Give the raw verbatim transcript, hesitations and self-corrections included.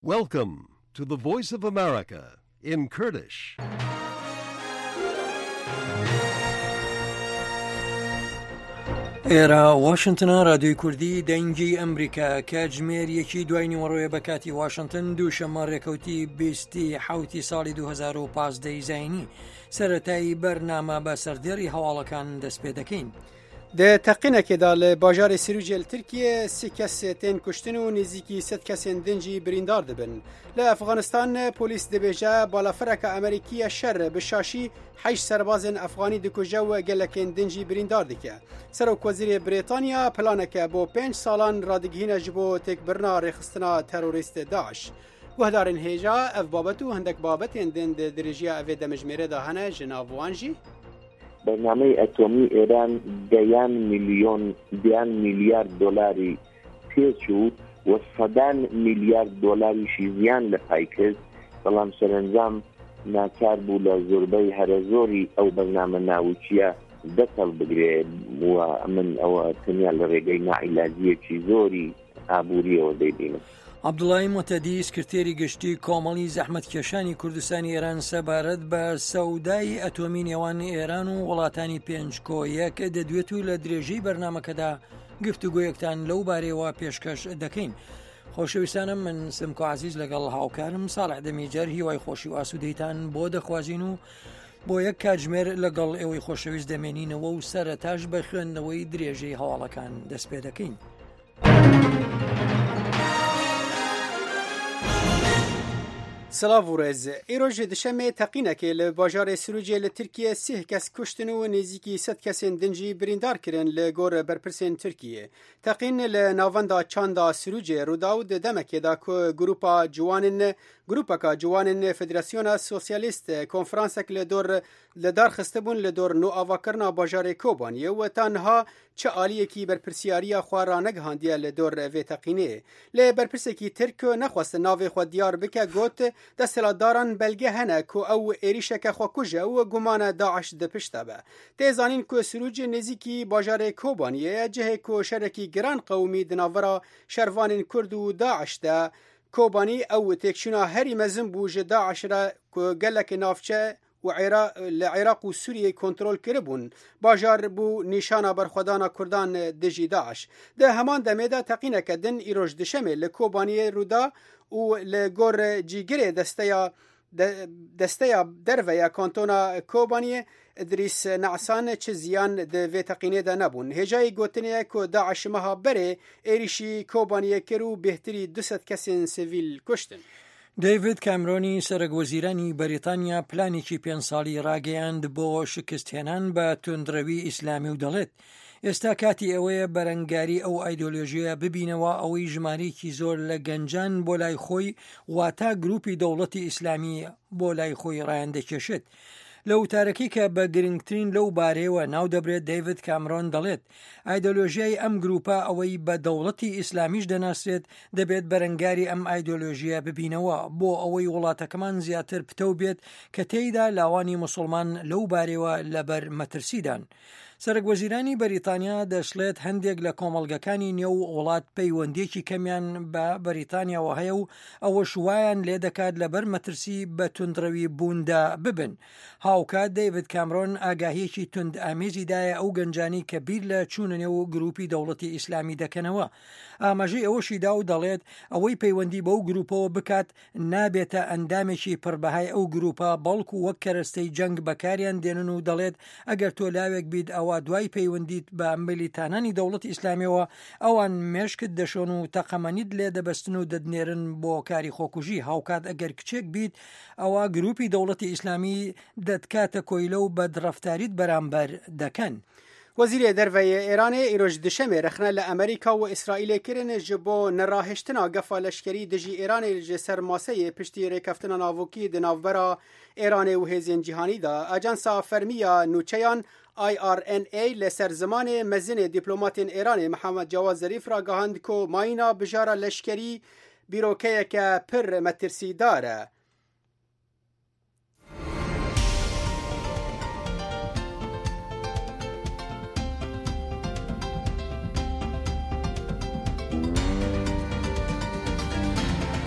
Welcome to the Voice of America in Kurdish. ئێرە واشنتنە، رادیۆی کوردی دەنگی ئەمریکا. کاتژمێر یەکی دوای نیوەڕۆیە بە کاتی واشنتن، دووشەممە ڕێکەوتی بیستی حوتی ساڵی دوو هەزار و پازدە زایینی. سەرەتایی بەرنامە بە سەردێڕی هەواڵەکان دەست پێ دەکەین. Di teqînekê de li bajarê Sirûcê li Tirkiyê sî kes tên kuştin û nêzîkî sed kesên din jî birîndar dibin. Li Efxanistan polîs dibêje balafireke Amerîkî ya şer bi şaşî heşt serbazên Efxanî dikuje û gelekên din jî birîndar dike. Serokwezîrê Brîtanya planeke bo pênc salan radigihîne ji bo têkbirina rêxistina terorîst Daeş. Guhdarên hêja, ev babet û hindek babetên din di dirêjiya evê demjimêrê de hene, ji nav wan jî: بەرنامەی ئەتۆمی ئێران دەیان میلیۆن، دەیان میلیارد دۆلاری تێچوو و سەدان میلیارد دۆلاریشی زیان لە پای کرد، بەڵام سەرەنجام ناچار بوو لە زۆربەی هەرە زۆری ئەو بەرنامە ناوچیە دەست هەڵبگرێ و من ئەوە تەنیا لە ڕێگەی ناعیلاجیەکی زۆری ئابووریەوە دەیبینم. عەبدوڵای موهتەدی، سکرتێری گشتی کۆمەڵی زەحمەتکێشانی کوردستانی ئێران، سەبارەت بە سەودای ئەتۆمی نێوان ئێران و وڵاتانی پێنج کۆ یەک دەدوێت و لە درێژەی بەرنامەکەدا گفتوگۆیەکتان لەو بارەیەوە پێشکەش دەکەین. خۆشەویستانم، من سمکۆ عزیز لەگەڵ هاوکارم ساڵح دەمیجەر هیوای خۆشی و ئاسوودەیتان بۆ دەخوازین و بۆ یەک کاتژمێر لەگەڵ ئێوەی خۆشەویست دەمێنینەوە و سەرەتاش بە خوێندنەوەی درێژەی هەواڵەکان دەست پێ دەکەین. Silav û rêz. Îro ji duşemê teqînekê li bajarê Sirûcê li Tirkiye sî kes kuştin û nêzîkî sed kesên din jî birîndar kirin, li gor berpirsên Tirkiyê. Teqîn li navenda çanda Sirûcê rû da û di demekê de ku grûpa ciwanên grûpeka ciwanên Federasyona Sosyalîst konferansek li dor li dar xistibûn li dor nûavakirina bajarê Kobaniyê û ta niha çi aliyekî berpirsiyariya xwe ranegihandiye li dor vê teqînê. Lê berpirsekî Tirk nexwest navê xwe diyar bike got desthilatdaran belge hene ku ew êrişeke xwekuj e û gumana Daeş di pişt de be. Tê zanîn ku Sirûc nêzîkî bajarê Kobaniyê ye, cihê ku şerekî giran qewimî di navbera şervanên Kurd û Daeş de. Kobanî ew têkçûna herî mezin bû ji Daeş re ku gelek navçe û li Iraq û Sûriyê kontrol kiribûn. Bajar bû nîşana berxwedana Kurdan dijî Daeş. Di heman demê de teqîneke din îroj duşemê li Kobaniyê rû da û li gor cîgirê desteya desteya derve ya kantona Kobaniyê İdrîs Neasan çi ziyan di vê teqînê de nebûn. Hêjayî gotinê ye ku Daeş meha berê êrişî Kobaniyê kir û bêhtirî du sed kesên sivîl kuştin. دەیڤید کامرۆنی سەرەک وەزیرانی بەریتانیا پلانێکی پێنج ساڵی ڕاگەیاند بۆ شکستهێنان بە توندڕەوی ئیسلامی و دەڵێت ئێستا کاتی ئەوەیە بەرەنگاری ئەو ئایدۆلۆژیە ببینەوە ئەوەی ژمارەیەکی زۆر لە گەنجان بۆ لای خۆی، واتا گروپی دەوڵەتی ئیسلامی، بۆ لای خۆی ڕایان دەکێشێت. لە وتارەکەی کە بە گرنگترین لەو بارەیەوە ناو دەبرێت، دەیڤید کامرۆن دەڵێت ئایدۆلۆژیای ئەم گروپە ئەوەی بە دەوڵەتی ئیسلامیش دەناسرێت، دەبێت بەرەنگاری ئەم ئایدۆلۆژیە ببینەوە بۆ ئەوەی وڵاتەکەمان زیاتر پتەو بێت کە تێیدا لاوانی مسلمان لەو بارەیەوە لەبەر مەترسیدان. سەرەک وەزیرانی بەریتانیا دەشڵێت هەندێک لە کۆمەڵگەکانی نێو وڵات پەیوەندیەکی کەمیان بە بەریتانیاوە هەیە و ئەوەش وایان لێ دەکات لەبەر مەترسی بە توندڕەوی بووندا ببن. هاوکات دەیڤید کامرۆن ئاگاهیەکی تند ئامێزی دایە ئەو گەنجانی کە بیر لە چوونە نێو گروپی دەوڵەتی ئیسلامی دەکەنەوە. ئاماژەی ئەوەشی دا و دەڵێت ئەوەی پەیوەندی بەو گروپەوە بکات نابێتە ئەندامێکی پڕبەهای ئەو گروپە، بەڵکو وەک کەرەستەی جەنگ بەکاریان دێنن و دەڵێت ئەگەر تۆ لاوێک بیت ئەوە دوای پەیوەندیت بە ملیتانانی دەوڵەتی ئیسلامیەوە ئەوان مێشکت دەشۆن و تەقەمەنیت لێ دەبەستن و دەتنێرن بۆ کاری خۆکوژی. هاوکات ئەگەر کچێک بیت ئەوە گروپی دەوڵەتی ئیسلامی دەتکاتە کۆیلە و بەدڕەفتاریت بەرامبەر دەکەن. Wezîrê Derve yê Îranê îroj duşemê rexne li Amerîka û Îsraîlê kirin ji bo nerahiştina gefa leşkerî dijî Îranê ji ser maseyê piştî rêkeftina navokî di navbera Îranê û hêzên cîhanî de. Ajansa fermî ya nûçeyan I R N A li ser zimanê mezinê dîplomatên Îranê Mihemed Cewad Zerîf ragihand ku mayîna bijara leşkerî bîrokeyeke pir metirsîdar e.